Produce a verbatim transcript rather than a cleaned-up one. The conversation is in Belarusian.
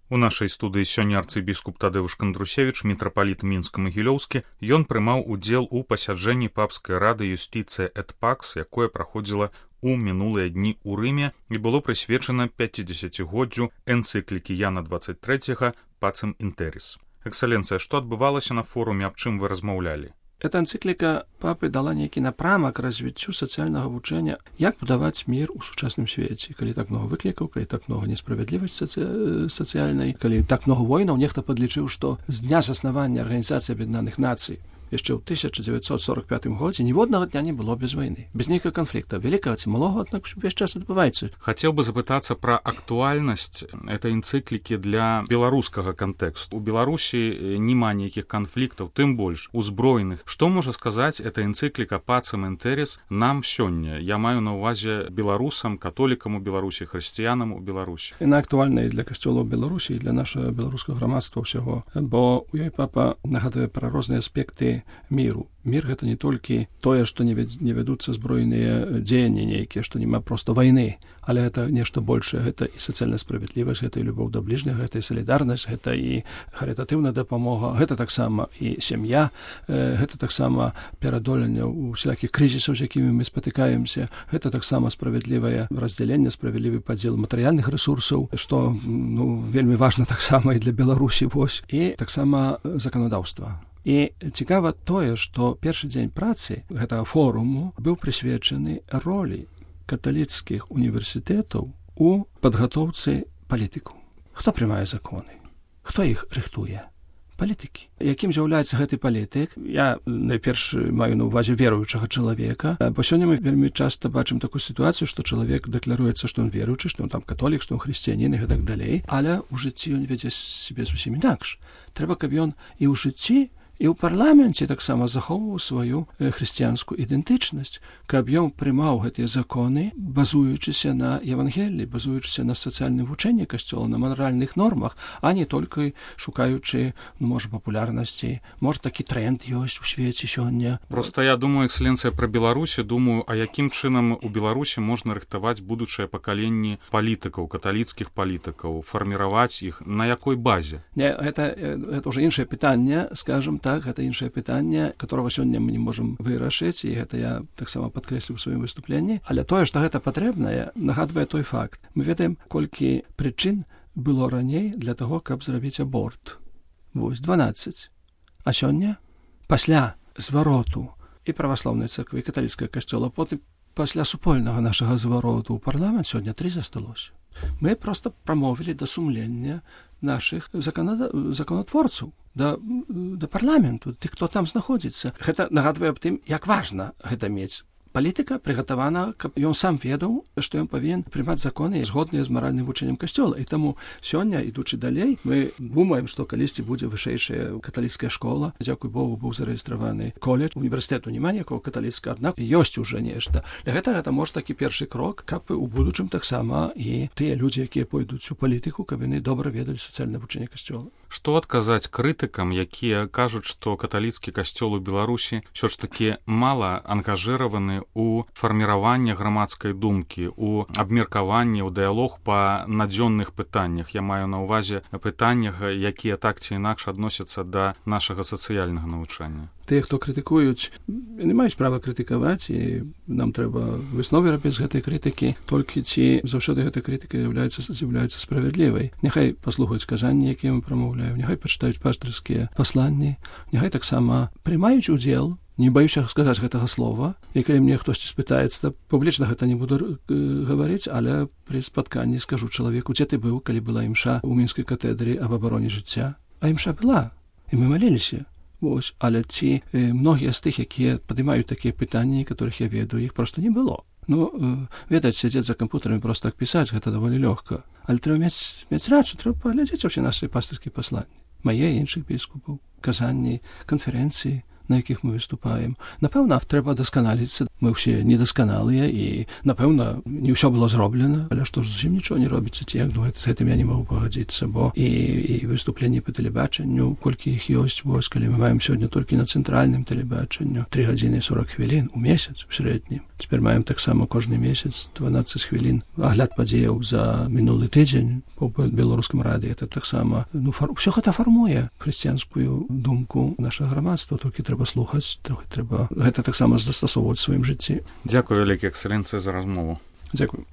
У нашай студыі сёння арцыбіскуп Тадэўш Кандрусевіч, мітрапаліт Мінска-Магілёўскі. Ён прымаў удзел у пасяджэнні папскай рады Юстиция et Pax, якое праходзіла у мінулыя дні ў Рыме і было прысвечана пяцідзесяцігоддзю энцыклікі Яна двадцать третьего Pacem in Terris. Экселленцыя, што адбывалася на форуме, аб чым вы размаўлялі? Эта энцыкліка папы дала нейкі напрамак развіццю сацыяльнага вучэння, як будаваць мір у сучасным свеце. Калі так много выклікаў, калі так много несправядлівасці саци... сацыяльнай, калі так много войнаў, нехта падлічыў, што з дня заснавання Арганізацыі Аб'яднаных Нацый яшчэ ў тысяча дзевяцьсот сорок пятым годзе ніводнага дня не было без вайны, без нейкага канфлікта, вялікага ці малога, аднак увесь час адбываецца. Хацеў бы запытацца пра актуальнасць этой энцыклікі для беларускага кантэксту. У Беларусі няма нейкіх канфліктаў, тым больш узброеных. Што можа сказаць эта энцыкліка Pacem in Terris нам сёння? Я маю на ўвазе беларусам, католікам у Беларусі, хрысціянам у Беларусі. Яна актуальна і для касцёла ў Беларусі, і для нашага беларускага грамадства ўсяго, бо у ёй папа нагадвае пра розныя аспекты міру. Мір гэта не толькі тое, што не вядуцца збройныя дзеянні нейкія, што няма проста вайны, але гэта нешта большае, гэта і сацыяльная справядлівасць, гэта і любоў да бліжняга, гэта і салідарнасць, гэта і харытатыўная дапамога, гэта таксама і сям'я, гэта таксама перадоленне усялякіх крызісаў, з якімі мы спатыкаемся, гэта таксама справядлівае раздзяленне, справядлівы падзел матэрыяльных рэсурсаў, што ну, вельмі важна таксама і для Беларусі, вось, і таксама заканадаўства. І цікава тое, што першы дзень працы гэтага форуму быў прысвечаны ролі каталіцкіх універсітэтаў у падгатоўцы палітыкаў. Хто прымае законы? Хто іх рыхтуе? Палітыкі. Якім з'яўляецца гэты палітык? Я найперш маю на ўвазе веруючага чалавека, бо сёння мы вельмі часта бачым такую сітуацыю, што чалавек дэкларуецца, што ён веруючы, што ён там католік, што ён хрысціянін і гэтак далей, але ў жыцці ён вядзе сябе зусім інакш. Трэба, каб ён і ў жыцці, і ў парламенце таксама захоўваў сваю хрысціянскую ідэнтычнасць, каб ён прымаў гэтыя законы, базуючыся на Евангеліі, базуючыся на сацыяльным вучэнні касцёла, на маральных нормах, а не толькі шукаючы, ну, можа, папулярнасці. Можа, такі тренд ёсць у свеце сёння. Проста я думаю, экселенцыя, пра Беларусі, думаю, а якім чынам у Беларусі можна рыхтаваць будучыя пакаленні палітыкаў, каталіцкіх палітыкаў, фарміраваць іх, на якой базе? Не, гэта, гэта ўжо іншае пытанне, скажам так, гэта іншае пытанне, которого сёння мы не можам вырашыць, і гэта я таксама падкрэсліў у сваім выступленні. Але тое, што гэта патрэбнае, нагадвае той факт. Мы ведаем, колькі прычын было раней для таго, каб зрабіць аборт. Вось, дванаццаць. А сёння, пасля звароту і праваслаўнай царквы, і каталіцкага касцёла, потым пасля супольнага нашага звароту ў парламент, сёння тры засталося. Мы проста прамовілі да сумлення нашых заканада... законатворцаў, да, да парламенту, тых, хто там знаходзіцца. Гэта нагадвае аб тым, як важна гэта мець. Палітыка прыгатавана, каб ён сам ведаў, што ён павінен прымаць законы згодныя з маральным вучэннем касцёла. І таму сёння, ідучы далей, мы думаем, што калісьці будзе вышэйшая каталіцкая школа. Дзякуй Богу, быў зарэгістраваны коледж. Універсітэту няма ніякого каталіцкага, аднак ёсць уже нешта. Для гэтага гэта можа такі першы крок, каб у будучым таксама і тыя людзі, якія пойдуць у палітыку, каб яны добра ведалі сацыяльнае вучэнне касцёла. Што адказаць крытыкам, якія кажуць, што каталіцкі касцёл у Беларусі ўсё ж такі мала ангажыраваны у фарміраванне грамадскай думкі, у абмеркаванні, у дыялог па надзённых пытаннях. Я маю на ўвазе пытаннях, якія так ці інакш адносяцца да нашага сацыяльнага навучання. Тыя, хто крытыкуюць, не маюць права крытыкаваць, і нам трэба высновы рабіць з гэтай крытыкі, толькі ці заўсёды гэта крытыка з'яўляецца з'яўляецца справядлівай. Няхай паслухаюць казанні, якія мы прамаўляем, няхай пачытаюць пастырскія пасланні, няхай таксама прымаюць удзел, не баюся сказаць гэтага слова, і калі мне хтосьці спытаецца, публічна гэта не буду гаварыць, але пры спатканні скажу чалавеку, дзе ты быў, калі была імша ў мінскай катедры аб абароне жыцця. А імша была, і мы маліліся. Вось, але ці э, многія з тых, якія падымаюць такія пытанні, которых я ведаю, іх проста не было. Ну, э, ведаць, сядзець за кампутарамі проста так пісаць, гэта даволі лёгка. Але трэба мець, мець рацыю, трэба паглядзець усе нашы пастырскія пасланні. Мае іншых біскупаў, казанні, канферэнцыі, на якіх мы выступаем. Напэўна, трэба дасканаліцца. Мы ўсе недасканалыя, і, напэўна, не ўсё было зроблена, але што ж зусім нічого не робіцца, ці як, ну, з гэтым я не магу пагадзіцца, бо і, і выступленні па тэлебачанню, колькі іх ёсць, вось, калі мы маем сёння толькі на цэнтральным тэлебачанню тры гадзіны сорок хвілін у месяц у сярэднім. Цяпер маем таксама кожны месяц дванаццаць хвілін агляд падзеяў за мінулы тыдзень по беларускам радыё. Это таксама, ну, фар... ўсё гэта фармуе хрысціянскую думку нашага грамадства, толькі трэба слухаць, трохі трэба гэта таксама застасоўваць у сваім жыцці. Дзякую, вялікі эксцэлэнцыя, за размову. Дзякую.